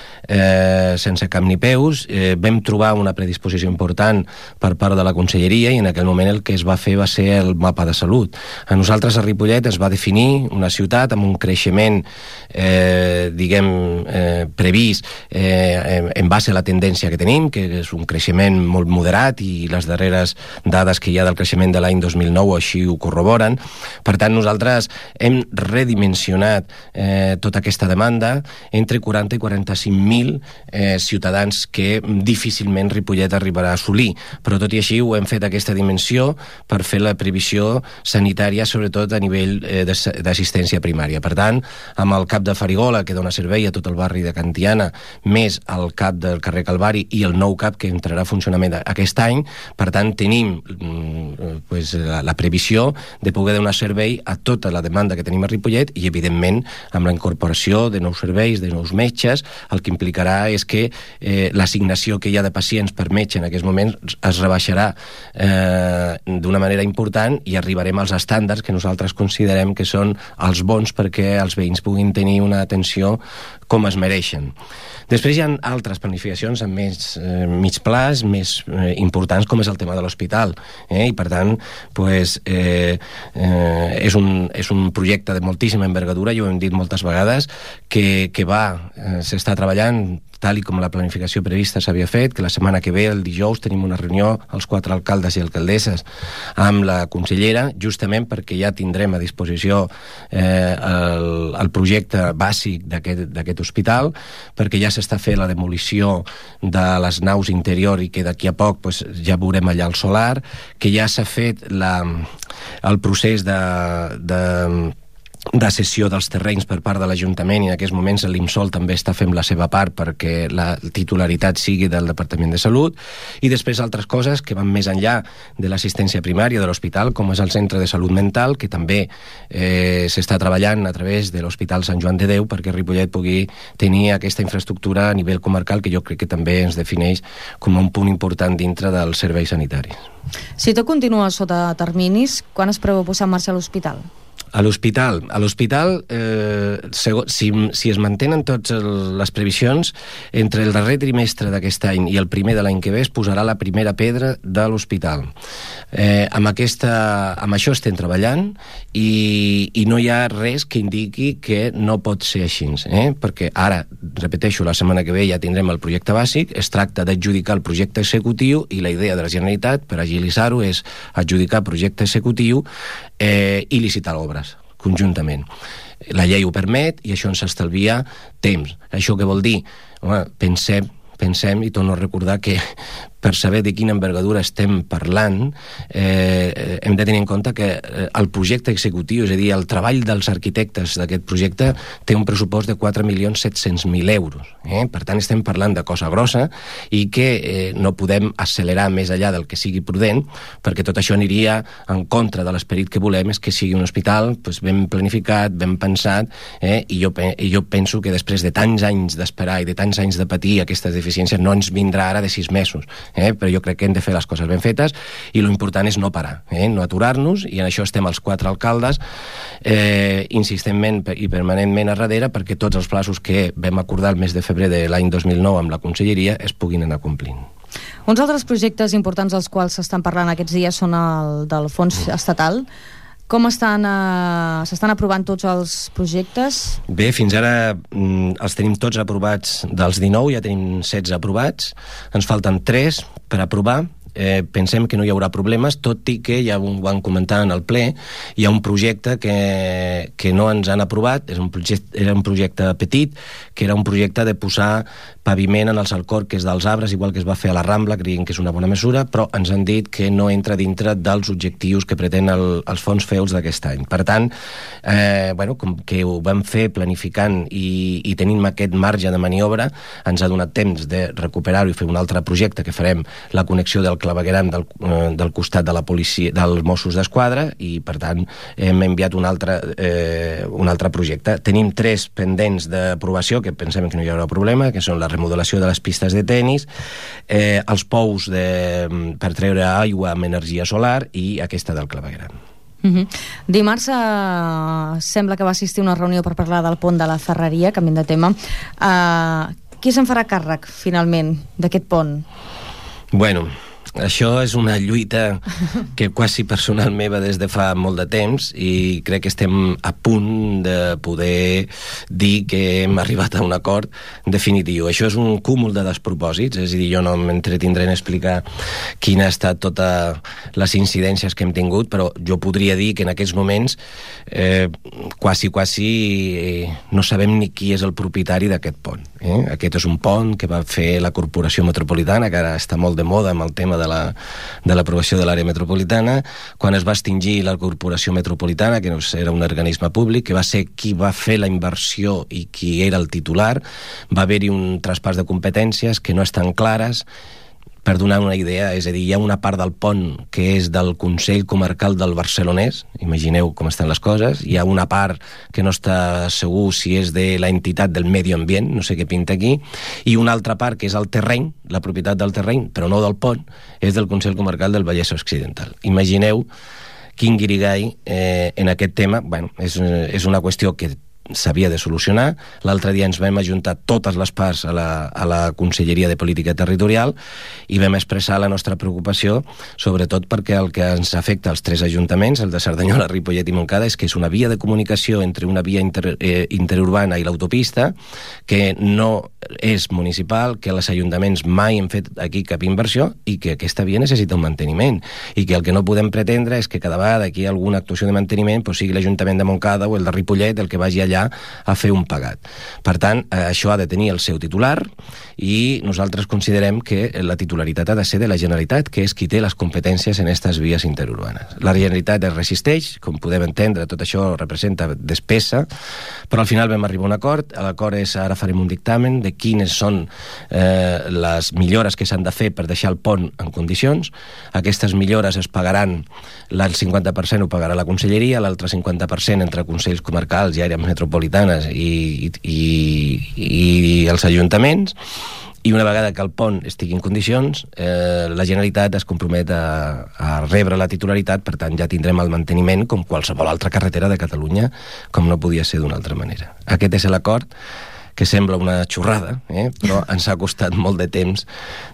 sense cap ni peus. Vam trobar una predisposició important per part de la Conselleria i en aquell moment el que es va fer va ser el mapa de salut. A nosaltres a Ripollet es va definir una ciutat amb un creixement previst en base a la tendència que tenim, que és un creixement molt moderat i les darreres dades que hi ha del creixement de l'any 2009 així ho corroboren. Per tant, nosaltres hem redimensionat tota aquesta demanda entre 40 i 45.000 ciutadans que difícilment Ripollet arribarà a assolir, però tot i així ho hem fet aquesta dimensió per fer la previsió sanitària, sobretot a nivell d'assistència primària. Per tant, amb el CAP de Farigola, que dona servei a tot el barri de Can Tiana, més el CAP del carrer Calvari i el nou CAP que entrarà a funcionament aquest any, per tant tenim la previsió de poder donar servei a tota la demanda que tenim a Ripollet i evidentment amb la incorporació de nous serveis, de nous metges, el que implicarà és que l'assignació que hi ha de pacients per metge en aquests moments es rebaixarà d'una manera important i arribarem als estàndards que nosaltres considerem que són els bons perquè els veïns puguin tenir una atenció com es mereixen. Després hi ha altres planificacions amb més mig plaç, més importants, com és el tema de l'hospital. I per tant, és un projecte de moltíssima envergadura, ja ho hem dit moltes vegades, que s'està treballant tal i com la planificació prevista s'havia fet, que la setmana que ve, el dijous, tenim una reunió, els 4 alcaldes i alcaldesses, amb la consellera, justament perquè ja tindrem a disposició el projecte bàsic d'aquest hospital, perquè ja s'està fent la demolició de les naus interior i que d'aquí a poc ja veurem allà el solar, que ja s'ha fet el procés de cessió dels terrenys per part de l'Ajuntament i en aquests moments l'IMSOL també està fent la seva part perquè la titularitat sigui del Departament de Salut, i després altres coses que van més enllà de l'assistència primària de l'hospital, com és el Centre de Salut Mental, que també s'està treballant a través de l'Hospital Sant Joan de Déu perquè Ripollet pugui tenir aquesta infraestructura a nivell comarcal, que jo crec que també ens defineix com un punt important dintre dels serveis sanitaris. Si tot continua sota terminis, quan es preveu posar en marxa l'hospital? A l'hospital, si es mantenen totes les previsions, entre el darrer trimestre d'aquest any i el primer de l'any que ve es posarà la primera pedra de l'hospital. Amb això estem treballant i no hi ha res que indiqui que no pot ser així, perquè ara, repeteixo, la setmana que ve ja tindrem el projecte bàsic, es tracta d'adjudicar el projecte executiu i la idea de la Generalitat, per agilitzar-ho, és adjudicar projecte executiu i licitar l'obra conjuntament. La llei ho permet i això ens estalvia temps. Això què vol dir? Home, pensem, i torno a recordar que per saber de quina envergadura estem parlant, hem de tenir en compte que el projecte executiu, és a dir, el treball dels arquitectes d'aquest projecte, té un pressupost de 4.700.000 euros. Per tant, estem parlant de cosa grossa i que no podem accelerar més enllà del que sigui prudent, perquè tot això aniria en contra de l'esperit que volem, és que sigui un hospital ben planificat, ben pensat, i jo penso que després de tants anys d'esperar i de tants anys de patir aquestes deficiències no ens vindrà ara de 6 mesos. Però jo crec que hem de fer les coses ben fetes i l'important és no parar, no aturar-nos, i en això estem els 4 alcaldes insistentment i permanentment a darrere perquè tots els plaços que vam acordar el mes de febrer de l'any 2009 amb la conselleria es puguin anar complint. Uns altres projectes importants dels quals s'estan parlant aquests dies són el del fons estatal. Com s'estan aprovant tots els projectes? Bé, fins ara els tenim tots aprovats. Dels 19 ja tenim 16 aprovats. Ens falten 3 per aprovar. Pensem que no hi haurà problemes, tot i que ja ho van comentar en el ple, hi ha un projecte que no ens han aprovat, era un projecte petit, que era un projecte de posar paviment en els alcorques dels arbres, igual que es va fer a la Rambla, creiem que és una bona mesura, però ens han dit que no entra dintre dels objectius que pretén els fons FEULS d'aquest any. Per tant, com que ho vam fer planificant i tenim aquest marge de maniobra, ens ha donat temps de recuperar-ho i fer un altre projecte que farem la connexió del clavegueram del costat de la policia, dels Mossos d'Esquadra, i per tant hem enviat un altre projecte. Tenim 3 pendents d'aprovació que pensem que no hi haurà problema, que són la remodelació de les pistes de tenis, els pous per treure aigua amb energia solar i aquesta del clavegueram. Dimarts sembla que va assistir a una reunió per parlar del pont de la Ferreria, canviant de tema. Qui se'n farà càrrec finalment d'aquest pont? Bueno, això és una lluita que quasi personal meva des de fa molt de temps, i crec que estem a punt de poder dir que hem arribat a un acord definitiu. Això és un cúmul de despropòsits, és a dir, jo no m'entretindré en explicar quina ha estat totes les incidències que hem tingut, però jo podria dir que en aquests moments quasi no sabem ni qui és el propietari d'aquest pont. Aquest és un pont que va fer la Corporació Metropolitana, que ara està molt de moda amb el tema de l'aprovació de l'àrea metropolitana. Quan es va extingir la Corporació Metropolitana, que era un organisme públic, que va ser qui va fer la inversió i qui era el titular, va haver-hi un traspàs de competències que no estan clares. per donar una idea, és a dir, hi ha una part del pont que és del Consell Comarcal del Barcelonès, imagineu com estan les coses, hi ha una part que no està segur si és de la entitat del medi ambient, no sé què pinta aquí, i una altra part que és el terreny, la propietat del terreny, però no del pont, és del Consell Comarcal del Vallès Occidental. Imagineu quin guirigall en aquest tema. Bueno, és una qüestió que s'havia de solucionar. L'altre dia ens vam ajuntar totes les parts a la Conselleria de Política Territorial i vam expressar la nostra preocupació, sobretot perquè el que ens afecta als 3 ajuntaments, el de Cerdanyola, Ripollet i Montcada, és que és una via de comunicació entre una via interurbana i l'autopista que no és municipal, que els ajuntaments mai han fet aquí cap inversió i que aquesta via necessita un manteniment i que el que no podem pretendre és que cada vegada que hi ha alguna actuació de manteniment sigui l'Ajuntament de Montcada o el de Ripollet el que vagi allà a fer un pagat. Per tant, això ha de tenir el seu titular i nosaltres considerem que la titularitat ha de ser de la Generalitat, que és qui té les competències en aquestes vies interurbanes. La Generalitat es resisteix, com podem entendre, tot això representa despesa, però al final vam arribar a un acord. L'acord és, ara farem un dictamen de quines són les millores que s'han de fer per deixar el pont en condicions. Aquestes millores es pagaran, el 50% ho pagarà la Conselleria, l'altre 50% entre Consells Comarcals i àrees metropolitanes i els ajuntaments, i una vegada que el pont estigui en condicions, la Generalitat es compromet a rebre la titularitat, per tant ja tindrem el manteniment com qualsevol altra carretera de Catalunya, com no podia ser d'una altra manera. Aquest és l'acord, que sembla una xorrada, però ens ha costat molt de temps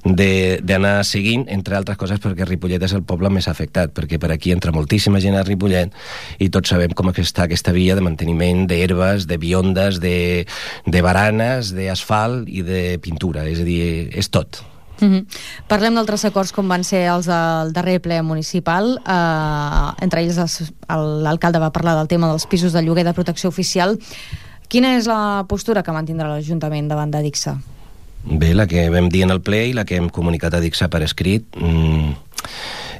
d'anar seguint, entre altres coses perquè Ripollet és el poble més afectat, perquè per aquí entra moltíssima gent a Ripollet i tots sabem com està aquesta via de manteniment d'herbes, de biondes, de baranes, d'asfalt i de pintura, és a dir, és tot. Parlem d'altres acords com van ser els del darrer ple municipal, entre ells l'alcalde va parlar del tema dels pisos de lloguer de protecció oficial. Quina és la postura que mantindrà l'Ajuntament davant d'Adixa? Bé, la que vam dir en el ple i la que hem comunicat a Adixa per escrit.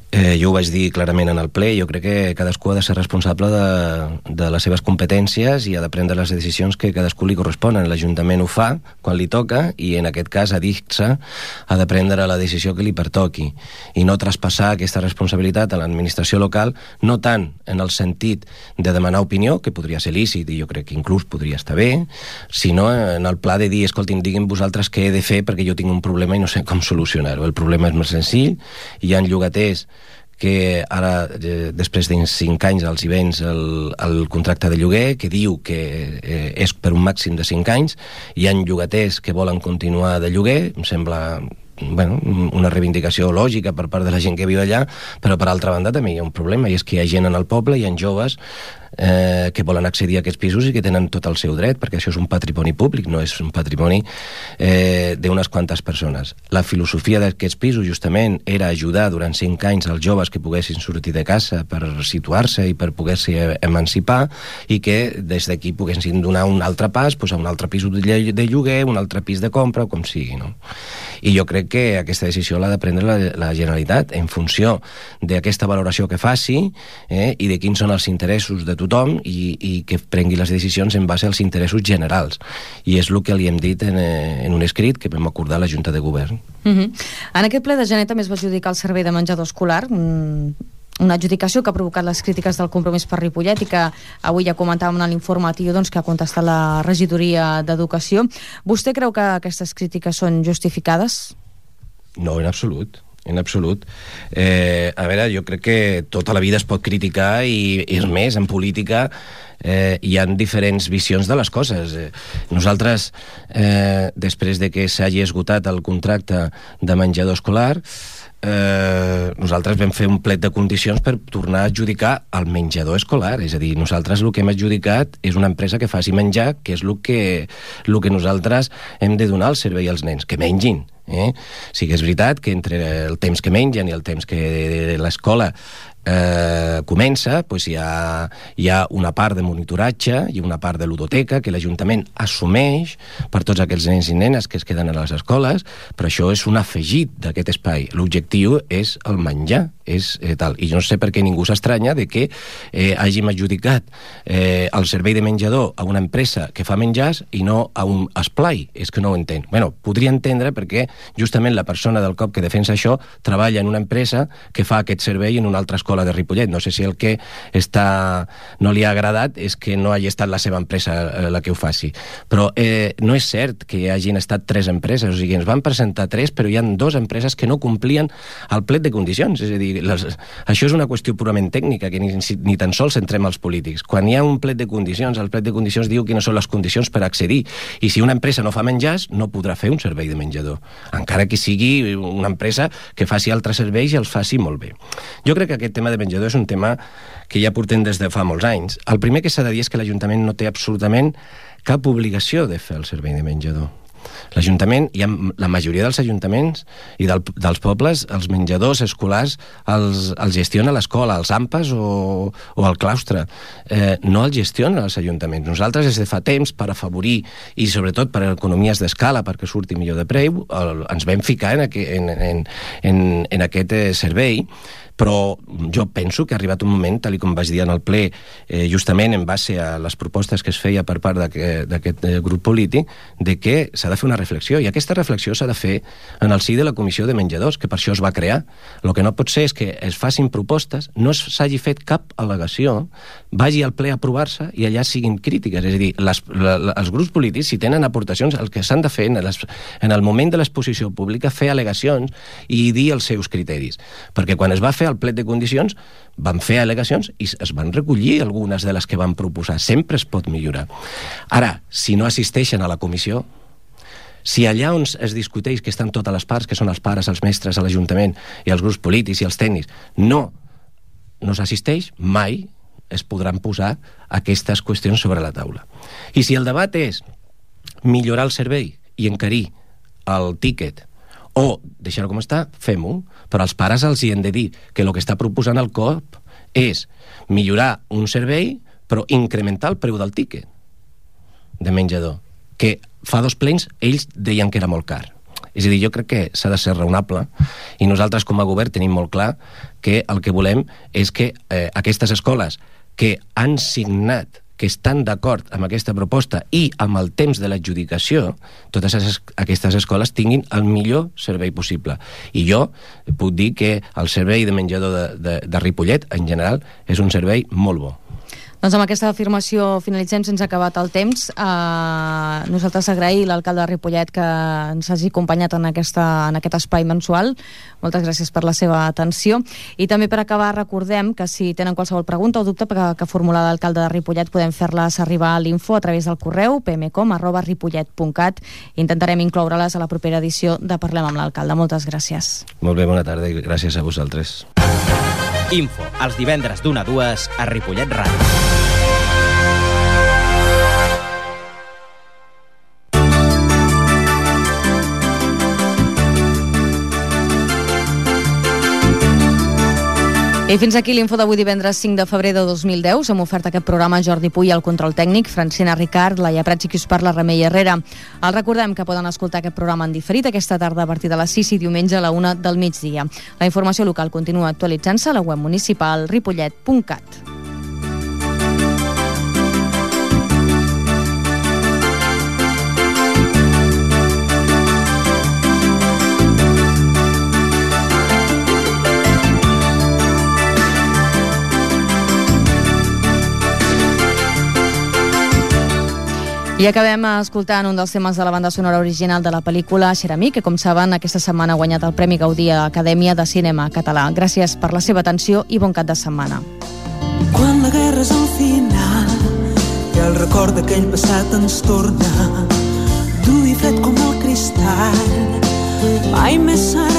Jo ho vaig dir clarament en el ple. Jo crec que cadascú ha de ser responsable de les seves competències i ha de prendre les decisions que cadascú li corresponen. L'Ajuntament ho fa quan li toca i en aquest cas Adixa ha de prendre la decisió que li pertoqui i no traspassar aquesta responsabilitat a l'administració local, no tant en el sentit de demanar opinió, que podria ser lícit i jo crec que inclús podria estar bé, sinó en el pla de dir, escoltin, diguin vosaltres què he de fer perquè jo tinc un problema i no sé com solucionar-ho. El problema és més senzill, hi ha llogaters que ara, després de 5 anys els hi vens el contracte de lloguer, que diu que és per un màxim de 5 anys, hi ha llogaters que volen continuar de lloguer, em sembla una reivindicació lògica per part de la gent que viu allà, però per altra banda també hi ha un problema, i és que hi ha gent en el poble, hi ha joves que volen accedir a aquests pisos i que tenen tot el seu dret, perquè això és un patrimoni públic, no és un patrimoni d'unes quantes persones. La filosofia d'aquests pisos justament era ajudar durant 5 anys els joves que poguessin sortir de casa per situar-se i per poder-se emancipar i que des d'aquí poguessin donar un altre pas a un altre pis de lloguer, un altre pis de compra o com sigui, no? I jo crec que aquesta decisió l'ha de prendre la Generalitat en funció d'aquesta valoració que faci i de quins són els interessos de tothom i que prengui les decisions en base als interessos generals. I és el que li hem dit en un escrit que vam acordar a la Junta de Govern. En aquest ple de gener també es va adjudicar el servei de menjador escolar, una adjudicació que ha provocat les crítiques del Compromís per Ripollet i que avui ja comentàvem en l'informatiu que ha contestat la regidoria d'Educació. Vostè creu que aquestes crítiques són justificades? No, en absolut. En absolut. A veure, jo crec que tota la vida es pot criticar i és més, en política hi ha diferents visions de les coses. Nosaltres, després de que s'hagi esgotat el contracte de menjador escolar, nosaltres vam fer un plet de condicions per tornar a adjudicar el menjador escolar, és a dir, nosaltres el que hem adjudicat és una empresa que faci menjar, que és el que nosaltres hem de donar al servei als nens, que mengin. Sí que és veritat que entre el temps que mengen i el temps que l'escola comença, hi ha una part de monitoratge i una part de ludoteca que l'Ajuntament assumeix per tots aquells nens i nenes que es queden a les escoles, però això és un afegit d'aquest espai. L'objectiu és el menjar, i no sé per què ningú s'estranya de que hàgim adjudicat el servei de menjador a una empresa que fa menjars i no a un esplai. És que no ho entenc. Podria entendre perquè justament la persona del COP que defensa això treballa en una empresa que fa aquest servei en una altra escola de Ripollet. No sé si el que no li ha agradat és que no hagi estat la seva empresa la que ho faci. Però no és cert que hi hagin estat 3 empreses, o sigui, ens van presentar 3, però hi ha 2 empreses que no complien el plet de condicions. És a dir, això és una qüestió purament tècnica, que ni tan sols centrem als polítics. Quan hi ha un plet de condicions, el plet de condicions diu quines són les condicions per accedir. I si una empresa no fa menjars, no podrà fer un servei de menjador, encara que sigui una empresa que faci altres serveis i els faci molt bé. Jo crec que aquest tema de menjador és un tema que ja portem des de fa molts anys. El primer que s'ha de dir és que l'Ajuntament no té absolutament cap obligació de fer el servei de menjador. L'Ajuntament, la majoria dels ajuntaments i dels pobles, els menjadors escolars els gestiona l'escola, els AMPAs o el claustre. No els gestionen els ajuntaments. Nosaltres des de fa temps, per afavorir i sobretot per economies d'escala, perquè surti millor de preu, ens vam ficar en aquest servei. Però jo penso que ha arribat un moment, tal com vaig dir en el ple, justament en base a les propostes que es feia per part d'aquest grup polític, de que s'ha de fer una reflexió, i aquesta reflexió s'ha de fer en el si de la Comissió de Menjadors, que per això es va crear. El que no pot ser és que es facin propostes, no s'hagi fet cap al·legació, vagi al ple a aprovar-se i allà siguin crítiques. És a dir, els grups polítics, si tenen aportacions, el que s'han de fer en el moment de l'exposició pública, fer al·legacions i dir els seus criteris. Perquè quan es va fer el plet de condicions, van fer al·legacions i es van recollir algunes de les que van proposar. Sempre es pot millorar. Ara, si no assisteixen a la comissió, si allà on es discuteix, que estan totes les parts, que són els pares, els mestres, l'Ajuntament i els grups polítics i els tècnics, no s'assisteix, mai es podran posar aquestes qüestions sobre la taula. I si el debat és millorar el servei i encarir el tíquet o deixar-ho com està, fem-ho. Però als pares els hi hem de dir que el que està proposant el COP és millorar un servei, però incrementar el preu del tíquet de menjador, que fa 2 plens ells deien que era molt car. És a dir, jo crec que s'ha de ser raonable i nosaltres com a govern tenim molt clar que el que volem és que aquestes escoles que han signat, que estan d'acord amb aquesta proposta i amb el temps de l'adjudicació, totes aquestes escoles tinguin el millor servei possible. I jo puc dir que el servei de menjador de Ripollet, en general, és un servei molt bo. Doncs amb aquesta afirmació finalitzem, sense acabat el temps. Nosaltres agrair l'alcalde de Ripollet que ens hagi acompanyat en aquest espai mensual. Moltes gràcies per la seva atenció. I també per acabar recordem que si tenen qualsevol pregunta o dubte que formular l'alcalde de Ripollet podem fer-les arribar a l'info a través del correu pmcom@ripollet.cat. Intentarem incloure-les a la propera edició de Parlem amb l'alcalde. Moltes gràcies. Molt bé, bona tarda i gràcies a vosaltres. Info, els divendres d'1 a 2 a Ripollet Ràdio. I fins aquí l'info d'avui divendres 5 de febrer de 2010. Hem ofert aquest programa Jordi Puy al control tècnic, Francina Ricard, Laia Prats i qui us parla, Remei Herrera. Els recordem que poden escoltar aquest programa en diferit aquesta tarda a partir de les 6 i diumenge a la 1 del migdia. La informació local continua actualitzant-se a la web municipal ripollet.cat. I acabem escoltant un dels temes de la banda sonora original de la pel·lícula Xeramí, que, com saben, aquesta setmana ha guanyat el Premi Gaudí a l'Acadèmia de Cinema Català. Gràcies per la seva atenció i bon cap de setmana. Quan la guerra és al final i el record d'aquell passat ens torna dur i fred com el cristall, mai més serà